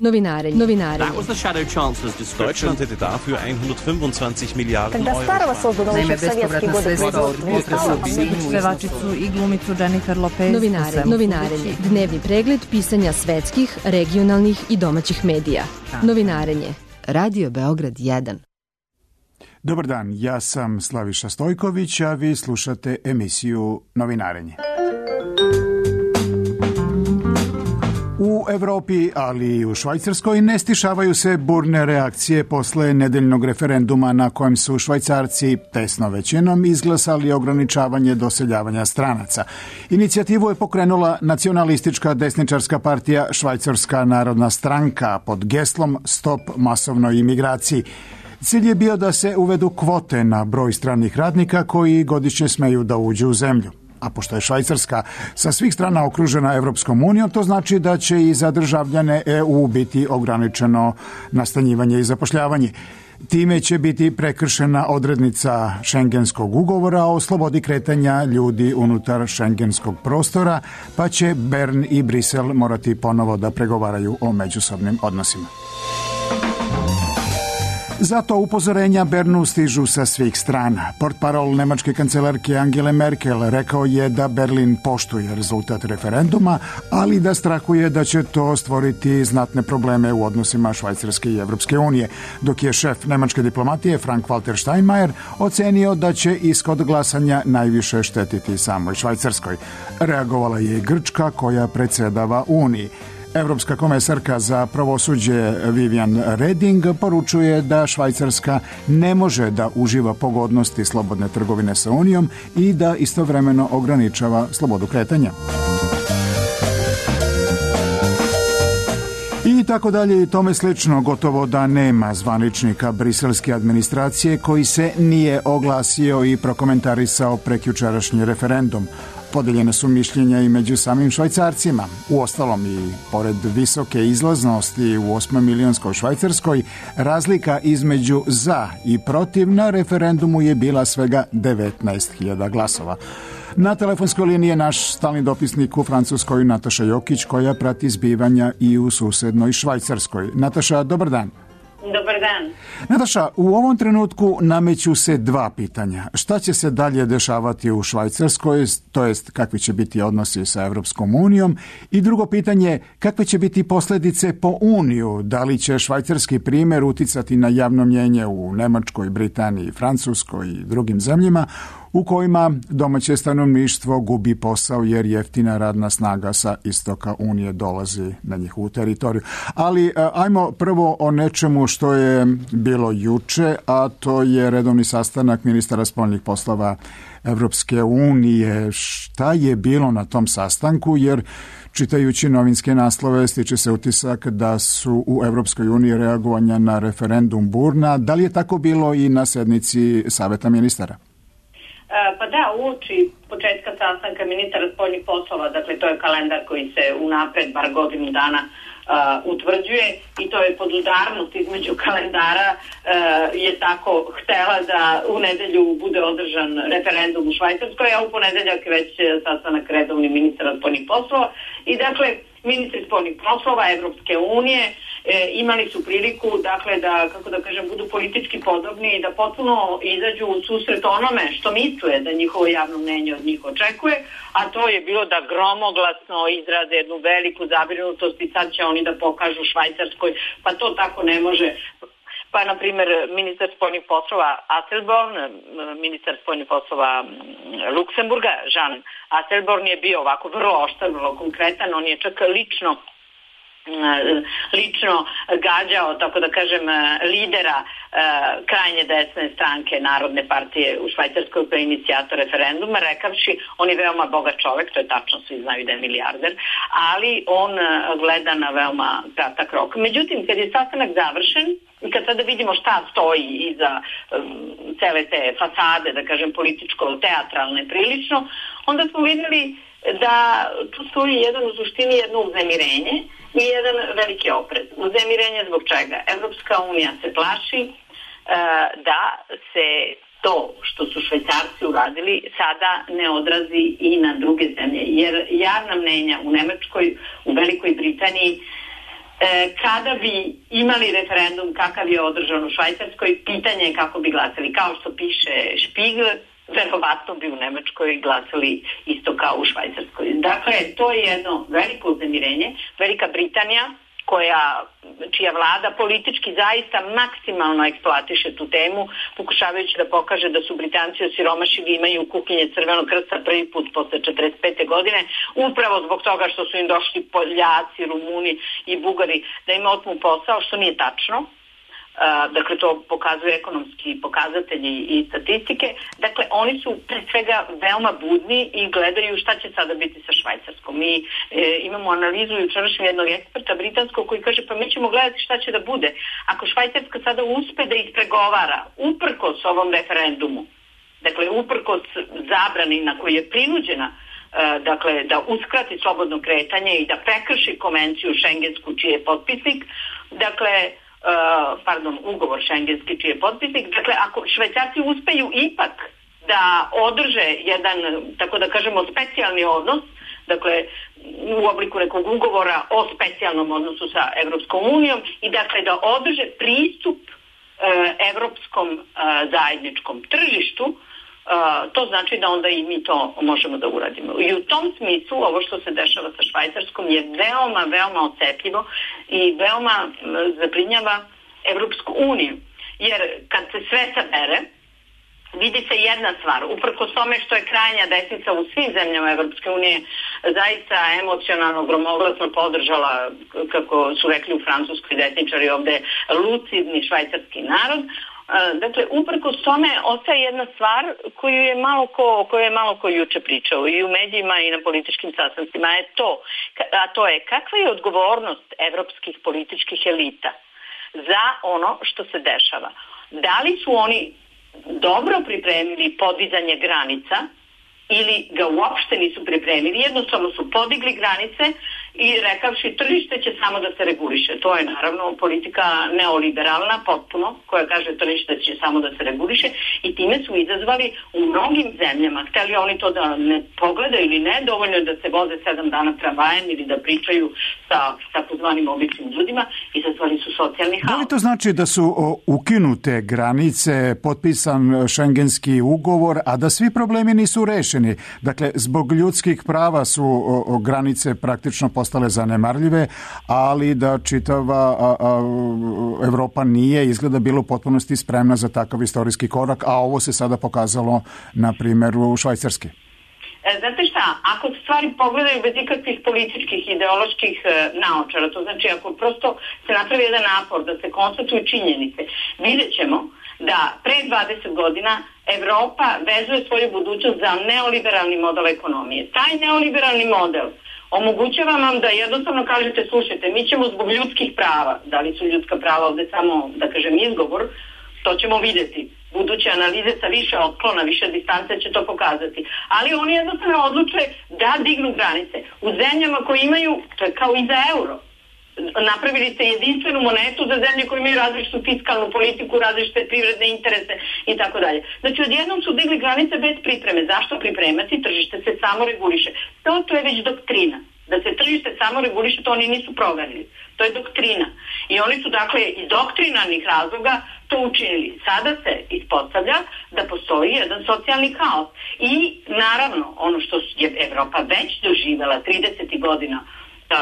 Novinare. That was the Shadow Chancellor's description. Deutschland hätte dafür 125 Milijarden Когда старого создано еще в советские годы Pevačicu i glumicu Jennifer Lopez. Novinarenje. Dnevni pregled pisanja svetskih, regionalnih i domaćih medija. Novinarenje. Radio Beograd 1. Dobar dan, ja sam Slaviša Stojković, a vi slušate emisiju Novinarenje. U Evropi, ali i u Švajcarskoj, ne stišavaju se burne reakcije posle nedeljnog referenduma na kojem su Švajcarci tesno većinom izglasali ograničavanje doseljavanja stranaca. Inicijativu je pokrenula nacionalistička desničarska partija Švajcarska narodna stranka pod geslom Stop masovnoj imigraciji. Cilj je bio da se uvedu kvote na broj stranih radnika koji godišnje smeju da uđu u zemlju. A pošto je Švajcarska sa svih strana okružena Evropskom unijom, to znači da će i za državljane EU biti ograničeno nastanjivanje i zapošljavanje. Time će biti prekršena odrednica Šengenskog ugovora o slobodi kretanja ljudi unutar šengenskog prostora, pa će Bern i Brisel morati ponovo da pregovaraju o međusobnim odnosima. Zato upozorenja Bernu stižu sa svih strana. Portparol nemačke kancelarke Angele Merkel rekao je da Berlin poštuje rezultat referenduma, ali da strahuje da će to stvoriti znatne probleme u odnosima Švajcarske i Evropske unije, dok je šef nemačke diplomatije Frank-Walter Steinmeier ocenio da će ishod glasanja najviše štetiti samoj Švajcarskoj. Reagovala je i Grčka koja predsjedava Uniji. Evropska komesarka za pravosuđe Vivian Reding poručuje da Švajcarska ne može da uživa pogodnosti slobodne trgovine sa Unijom i da istovremeno ograničava slobodu kretanja. I tako dalje i tome slično, gotovo da nema zvaničnika briselske administracije koji se nije oglasio i prokomentarisao prekjučerašnji referendum. Podeljene su mišljenja i među samim Švajcarcima. Uostalom i pored visoke izlaznosti u 8-milionskoj Švajcarskoj, razlika između za i protiv na referendumu je bila svega 19.000 glasova. Na telefonskoj liniji je naš stalni dopisnik u Francuskoj Nataša Jokić, koja prati zbivanja i u susednoj Švajcarskoj. Nataša, dobar dan. Dobar dan. Nataša, u ovom trenutku nameću se dva pitanja. Šta će se dalje dešavati u Švajcarskoj, to jest kakvi će biti odnosi sa Evropskom unijom? I drugo pitanje, kakve će biti posljedice po Uniju? Da li će švajcarski primjer uticati na javno mnjenje u Nemačkoj, Britaniji, Francuskoj i drugim zemljama u kojima domaće stanovništvo gubi posao jer jeftina radna snaga sa istoka Unije dolazi na njihovu teritoriju. Ali ajmo prvo o nečemu što je bilo juče, a to je redovni sastanak ministara spoljnih poslova Evropske unije. Šta je bilo na tom sastanku? Jer čitajući novinske naslove stiče se utisak da su u Evropskoj uniji reagovanja na referendum burna. Da li je tako bilo i na sednici Saveta ministara? Pa da, uoči početka sastanka ministara spoljnih poslova, dakle to je kalendar koji se unapred bar godinu dana utvrđuje i to je podudarnost između kalendara je tako htela da u nedelju bude održan referendum u Švajcarskoj, a u ponedeljak već sastanak redovni ministara spoljnih poslova i dakle ministri spoljnih poslova Evropske unije imali su priliku dakle da, kako da kažem, budu politički podobni i da potpuno izađu u susret onome što misle da njihovo javno mnenje od njih očekuje, a to je bilo da gromoglasno izrade jednu veliku zabrinutost i sad će oni da pokažu Švajcarskoj, pa to tako ne može. Pa, na primjer, ministar spoljnih poslova Asselborn, ministar spoljnih poslova Luksemburga, Jean Asselborn je bio ovako vrlo oštar, vrlo konkretan, on je čak lično gađao, tako da kažem, lidera krajnje desne stranke Narodne partije u Švajcarskoj kao inicijator referenduma, rekavši on je veoma bogat čovek, to je tačno, svi znaju da je milijarder, ali on gleda na veoma kratak rok. Međutim, kad je sastanak završen i kad sada vidimo šta stoji iza cele te fasade, da kažem političko-teatralne prilično, onda smo vidjeli da tu stoji u suštini jedno uznemirenje i jedan veliki oprez. Uznemirenje zbog čega? Evropska unija se plaši da se to što su Švajcarci uradili sada ne odrazi i na druge zemlje, jer javna mnenja u Nemačkoj, u Velikoj Britaniji kada bi imali referendum kakav je održan u Švajcarskoj, pitanje je kako bi glasali. Kao što piše Spiegel, verovatno bi u Nemačkoj glasali isto kao u Švajcarskoj. Dakle, to je jedno veliko uznemirenje. Velika Britanija, čija vlada politički zaista maksimalno eksploatiše tu temu, pokušavajući da pokaže da su Britanci osiromašili, imaju kuhinje Crvenog krsta prvi put posle 45. godine, upravo zbog toga što su im došli Poljaci, Rumuni i Bugari da im otmu posao, što nije tačno. Dakle, to pokazuju ekonomski pokazatelji i statistike. Dakle, oni su pre svega veoma budni i gledaju šta će sada biti sa Švajcarskom. Mi imamo analizu jučerašnjeg jednog eksperta britanskog koji kaže pa mi ćemo gledati šta će da bude. Ako Švajcarska sada uspe da ispregovara uprkos ovom referendumu, dakle, uprkos zabrani na koju je prinuđena, dakle, da uskrati slobodno kretanje i da prekrši konvenciju šengensku čiji je potpisnik, dakle, ugovor šengenski čiji je potpisnik. Dakle, ako Švajcarci uspeju ipak da održe jedan, tako da kažemo, specijalni odnos, dakle, u obliku nekog ugovora o specijalnom odnosu sa Evropskom unijom i dakle da održe pristup evropskom zajedničkom tržištu, to znači da onda i mi to možemo da uradimo. I u tom smislu ovo što se dešava sa Švajcarskom je veoma, veoma osetljivo i veoma zabrinjava Evropsku uniju. Jer kad se sve sabere, vidi se jedna stvar, uprkos tome što je krajnja desnica u svim zemljama Evropske unije zaista emocionalno, gromoglasno podržala, kako su rekli u Francuskoj desničari ovde, lucidni švajcarski narod. Dakle, uprkos tome ostaje jedna stvar o kojoj je malo ko juče pričao i u medijima i na političkim sastancima, a to je kakva je odgovornost evropskih političkih elita za ono što se dešava. Da li su oni dobro pripremili podizanje granica ili ga uopšte nisu pripremili, jednostavno su podigli granice i rekavši tržište će samo da se reguliše. To je naravno politika neoliberalna potpuno, koja kaže tržište će samo da se reguliše i time su izazvali u mnogim zemljama, hteli oni to da ne pogledaju ili ne, dovoljno je da se voze 7 dana tramvajem ili da pričaju sa takozvanim običnim ljudima, izazvali su socijalni haos. Da li to znači da su ukinute granice, potpisan šengenski ugovor, a da svi problemi nisu rešeni? Dakle, zbog ljudskih prava su granice praktično postale zanemarljive, ali da čitava Evropa nije izgleda bila u potpunosti spremna za takav istorijski korak, a ovo se sada pokazalo na primjeru Švajcarske. Znate šta, ako stvari pogledaju bez ikakvih političkih, ideoloških naočara, to znači ako prosto se napravi jedan napor da se konstatuju činjenice, vidjet ćemo da pre 20 godina Evropa vezuje svoju budućnost za neoliberalni model ekonomije. Taj neoliberalni model omogućava vam da jednostavno kažete, slušajte, mi ćemo zbog ljudskih prava, da li su ljudska prava ovde samo, da kažem, izgovor, to ćemo vidjeti. Buduće analize sa više otklona, više distance će to pokazati. Ali oni jednostavno odluče da dignu granice. U zemljama koje imaju, to je kao i za euro, napravili ste jedinstvenu monetu za zemlje koje imaju različitu fiskalnu politiku, različite privredne interese i tako dalje. Znači, odjednom su digli granice bez pripreme. Zašto pripremati? Tržište se samo reguliše. To je već doktrina. Da se tržište samo reguliše, to oni nisu proverili. To je doktrina. I oni su, dakle, iz doktrinarnih razloga to učinili. Sada se ispostavlja da postoji jedan socijalni haos. I, naravno, ono što je Evropa već doživela 30. godina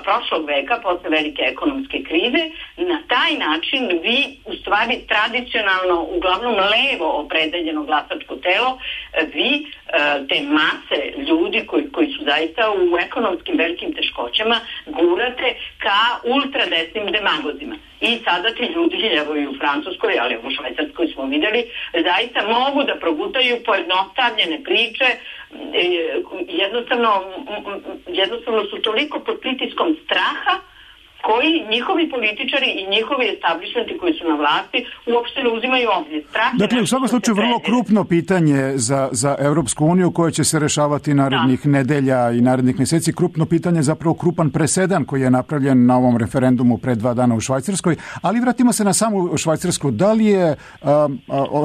prošlog veka, posle velike ekonomske krize, na taj način vi, u stvari, tradicionalno, uglavnom levo opredeljeno glasačko telo, vi te mase ljudi koji su zaista u ekonomskim velikim teškoćama gurate ka ultradesnim demagozima. I sada ti ljudi, evo i u Francuskoj, ali u Švajcarskoj smo videli, zaista mogu da progutaju pojednostavljene priče, jednostavno su toliko pod pritiskom straha koji njihovi političari i njihovi establishmenti koji su na vlasti uopšte ne uzimaju obzir. Dakle, u svakom slučaju vrlo krupno pitanje za Evropsku uniju koje će se rešavati narednih nedelja i narednih mjeseci. Krupno pitanje, zapravo krupan presedan koji je napravljen na ovom referendumu pre 2 dana u Švajcarskoj. Ali vratimo se na samu Švajcarsku. Da li je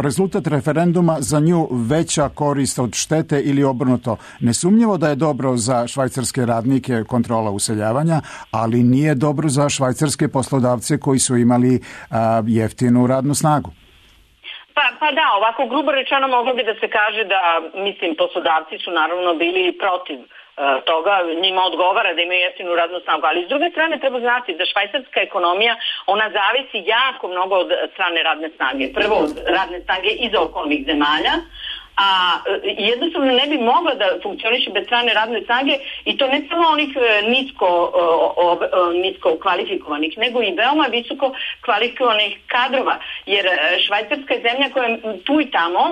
rezultat referenduma za nju veća korist od štete ili obrnuto? Nesumnjivo da je dobro za švajcarske radnike kontrola useljavanja, ali nije dobro za švajcarske poslodavce koji su imali jeftinu radnu snagu. Pa da, ovako grubo rečeno moglo bi da se kaže da, mislim, poslodavci su naravno bili protiv toga, njima odgovara da imaju jeftinu radnu snagu, ali s druge strane treba znati da švajcarska ekonomija, ona zavisi jako mnogo od strane radne snage. Prvo od radne snage iz okolnih zemalja, a jednostavno ne bi mogla da funkcioniše bez strane radne snage i to ne samo onih nisko kvalifikovanih, nego i veoma visoko kvalifikovanih kadrova, jer Švajcarska je zemlja koja tu i tamo,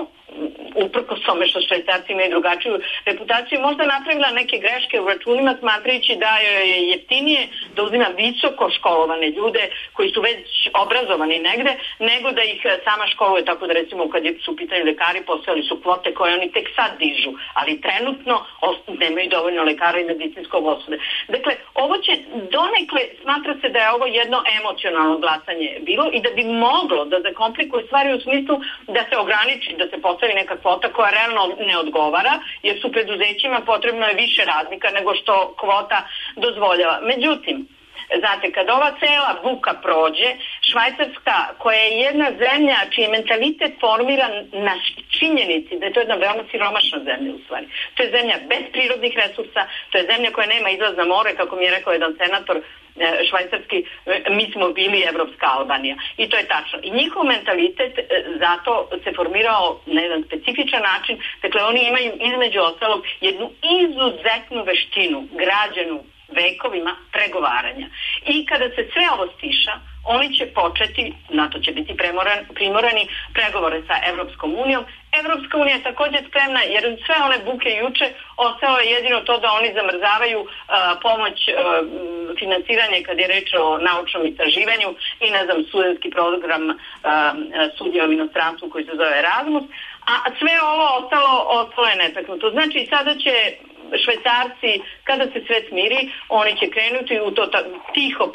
uprkos tome što Švajcarci imaju drugačiju reputaciju, možda napravila neke greške u računima smatrajući da je jeftinije da uzima visoko školovane ljude koji su već obrazovani negde, nego da ih sama školuje, tako da recimo kad su u pitanju lekari postojali su kvote koje oni tek sad dižu, ali trenutno nemaju dovoljno lekara i medicinskog osoblja. Dakle, ovo će donekle, smatra se da je ovo jedno emocionalno glasanje bilo i da bi moglo da zakomplikuje stvari u smislu da se ograniči, da se postavi neka kvota koja realno ne odgovara, jer su preduzećima potrebno je više radnika nego što kvota dozvoljava. Međutim, znate, kad ova cela buka prođe, Švajcarska, koja je jedna zemlja čiji mentalitet formiran na činjenici da je to jedna veoma siromašna zemlja u stvari. To je zemlja bez prirodnih resursa, to je zemlja koja nema izlaz na more, kako mi je rekao jedan senator švajcarski, mi smo bili Evropska Albanija. I to je tačno. I njihov mentalitet zato se formirao na jedan specifičan način. Dakle, oni imaju između ostalog jednu izuzetnu veštinu građenu vekovima pregovaranja. I kada se sve ovo stiša, oni će početi, na to će biti primorani, pregovore sa Evropskom unijom. Evropska unija je također spremna, jer sve one buke juče ostalo je jedino to da oni zamrzavaju pomoć financiranje kad je reč o naučnom istraživanju i ne znam, studentski program studija u inostranstvu koji se zove Erasmus, a sve ovo ostalo je netaknuto. Znači sada će Švajcarci, kada se sve smiri, oni će krenuti u to tiho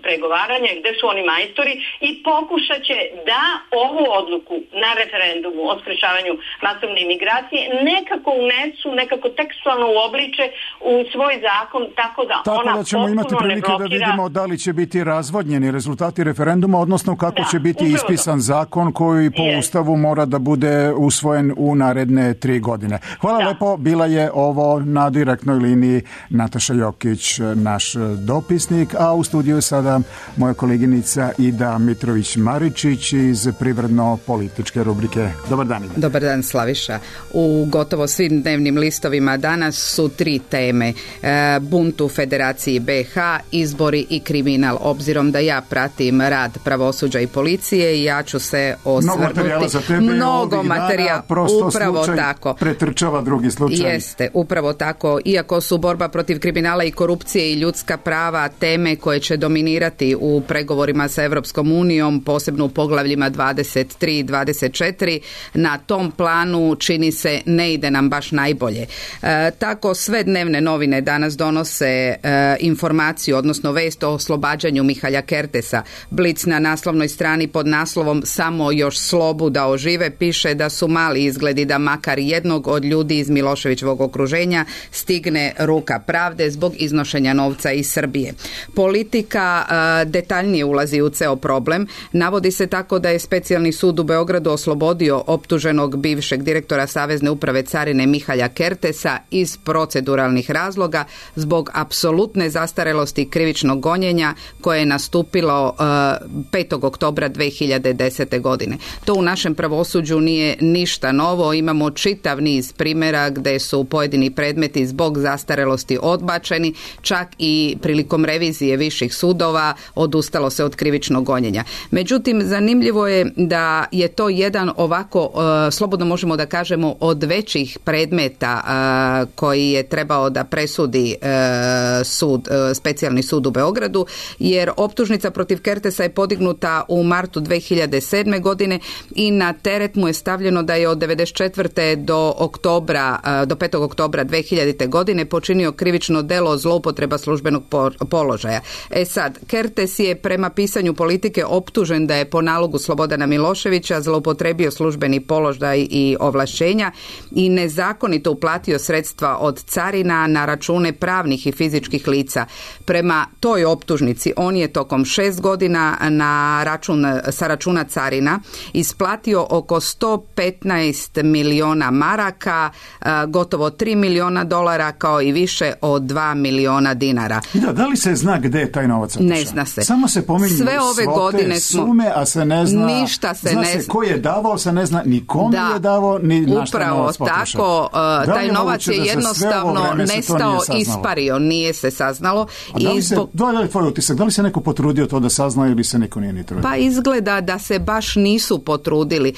pregovaranje gde su oni majstori i pokušat će da ovu odluku na referendumu o sprečavanju masovne imigracije nekako unesu, nekako tekstualno uobliče u svoj zakon, tako da ona da ćemo imati prilike da vidimo da li će biti razvodnjeni rezultati referenduma, odnosno kako će biti ispisan zakon koji po Ustavu mora da bude usvojen u naredne 3 godine. Hvala lepo, bila je ovo na direktnoj liniji Nataša Jokić, naš dopisnik, a u studiju sada moja koleginica Ida Mitrović-Maričić iz privredno-političke rubrike. Dobar dan, Ida. Dobar dan, Slaviša. U gotovo svim dnevnim listovima danas su 3 teme. Bunt u Federaciji BiH, izbori i kriminal. Obzirom da ja pratim rad pravosuđa i policije, ja ću se osvrnuti. Mnogo materijala, upravo tako. Pretrčava drugi slučaj. Jeste, upravo tako. Iako su borba protiv kriminala i korupcije i ljudska prava teme koje će dominirati u pregovorima sa Evropskom unijom, posebno u poglavljima 23 i 24, na tom planu čini se ne ide nam baš najbolje. Tako sve dnevne novine danas donose informaciju, odnosno vest o oslobađanju Mihalja Kertesa. Blic na naslovnoj strani pod naslovom Samo još slobu da ožive piše da su mali izgledi da makar jednog od ljudi iz Miloševićevog okruženja stigne ruka pravde zbog iznošenja novca iz Srbije. Politika detaljnije ulazi u ceo problem. Navodi se tako da je Specijalni sud u Beogradu oslobodio optuženog bivšeg direktora Savezne uprave carine Mihalja Kertesa iz proceduralnih razloga zbog apsolutne zastarelosti krivičnog gonjenja koje je nastupilo 5. oktobra 2010. godine. To u našem pravosuđu nije ništa novo. Imamo čitav niz primjera gde su pojedini predmeti zbog zastarelosti odbačeni, čak i prilikom revizije viših sudova odustalo se od krivičnog gonjenja. Međutim, zanimljivo je da je to jedan ovako, slobodno možemo da kažemo, od većih predmeta koji je trebao da presudi Specijalni sud u Beogradu, jer optužnica protiv Kertesa je podignuta u martu 2007. godine i na teret mu je stavljeno da je od 94. do 5. oktobra 2010. 2000. godine počinio krivično delo zloupotreba službenog položaja. Sad, Kertes je prema pisanju Politike optužen da je po nalogu Slobodana Miloševića zloupotrebio službeni položaj i ovlašćenja i nezakonito uplatio sredstva od carina na račune pravnih i fizičkih lica. Prema toj optužnici on je tokom 6 godina sa računa carina isplatio oko 115 miliona maraka, gotovo 3 miliona dolara, kao i više od 2 miliona dinara. Da li se zna gde je taj novac otišao? Ne zna se. Samo se pominju sve ove godine sume, a se ne zna. Ništa se zna ne se ko je davao, se ne zna ni kome je davao, ni na šta novac potrošao. Upravo tako, taj novac je jednostavno nestao, ispario, nije se saznalo. Da li tvoj utisak, da li se neko potrudio to da sazna ili se neko nije ni trudio? Pa izgleda da se baš nisu potrudili.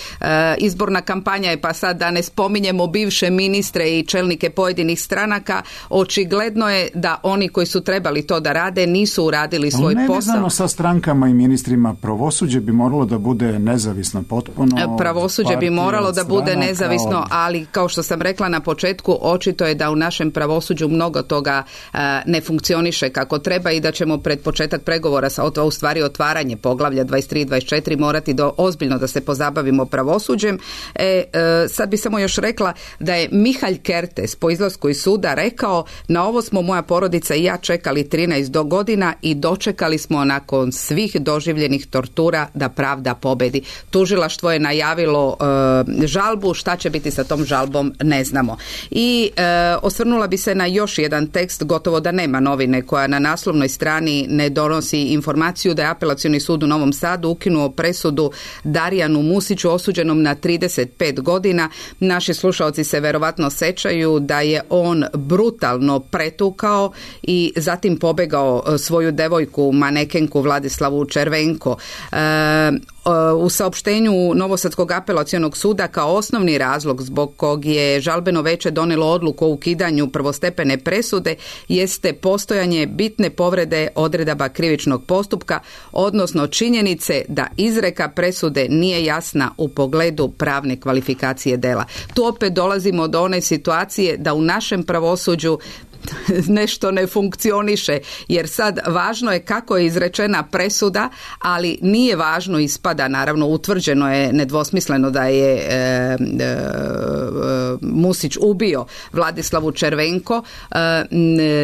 Izborna kampanja je, pa sad da ne spominjemo bivše ministre i čelnike pojedinih stranaka, očigledno je da oni koji su trebali to da rade nisu uradili svoj posao. Nevezano sa strankama i ministrima, pravosuđe bi moralo da bude nezavisno potpuno. Pravosuđe bi moralo da bude nezavisno, ali kao što sam rekla na početku, očito je da u našem pravosuđu mnogo toga ne funkcioniše kako treba i da ćemo pred početak pregovora u stvari otvaranje poglavlja 23 i 24 morati ozbiljno da se pozabavimo pravosuđem. Sad bi samo još rekla da je Mihalj Kertes po izlasku iz suda rekao: na ovo smo moja porodica i ja čekali 13 godina i dočekali smo nakon svih doživljenih tortura da pravda pobedi. Tužilaštvo je najavilo žalbu, šta će biti sa tom žalbom ne znamo. I osvrnula bi se na još jedan tekst, gotovo da nema novine koja na naslovnoj strani ne donosi informaciju da je Apelacioni sud u Novom Sadu ukinuo presudu Darijanu Musiću osuđenom na 35 godina. Naši slušaoci se verovatno sećaju da je on brutalno pretukao i zatim pobegao svoju devojku, manekenku Vladislavu Červenko. U saopštenju Novosadskog apelacionog suda kao osnovni razlog zbog kog je žalbeno veće donelo odluku o ukidanju prvostepene presude jeste postojanje bitne povrede odredaba krivičnog postupka, odnosno činjenice da izreka presude nije jasna u pogledu pravne kvalifikacije dela. Tu opet dolazimo do one situacije da u našem pravosuđu nešto ne funkcioniše, jer sad važno je kako je izrečena presuda, ali nije važno, ispada, naravno utvrđeno je nedvosmisleno da je Musić ubio Vladislavu Červenko,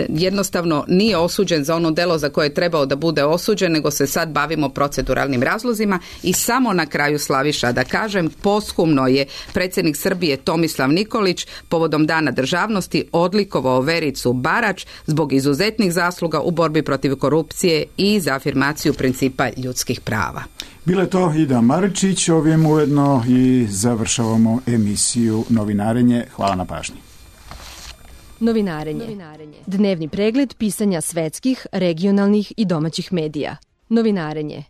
jednostavno nije osuđen za ono delo za koje je trebao da bude osuđen, nego se sad bavimo proceduralnim razlozima. I samo na kraju, Slaviša, da kažem, posthumno je predsjednik Srbije Tomislav Nikolić povodom Dana državnosti odlikovao Vericu Barać zbog izuzetnih zasluga u borbi protiv korupcije i za afirmaciju principa ljudskih prava. Bila je to Ida Maričić, ovim ujedno i završavamo emisiju Novinarenje. Hvala na pažnji. Novinarenje. Dnevni pregled pisanja svetskih, regionalnih i domaćih medija. Novinarenje.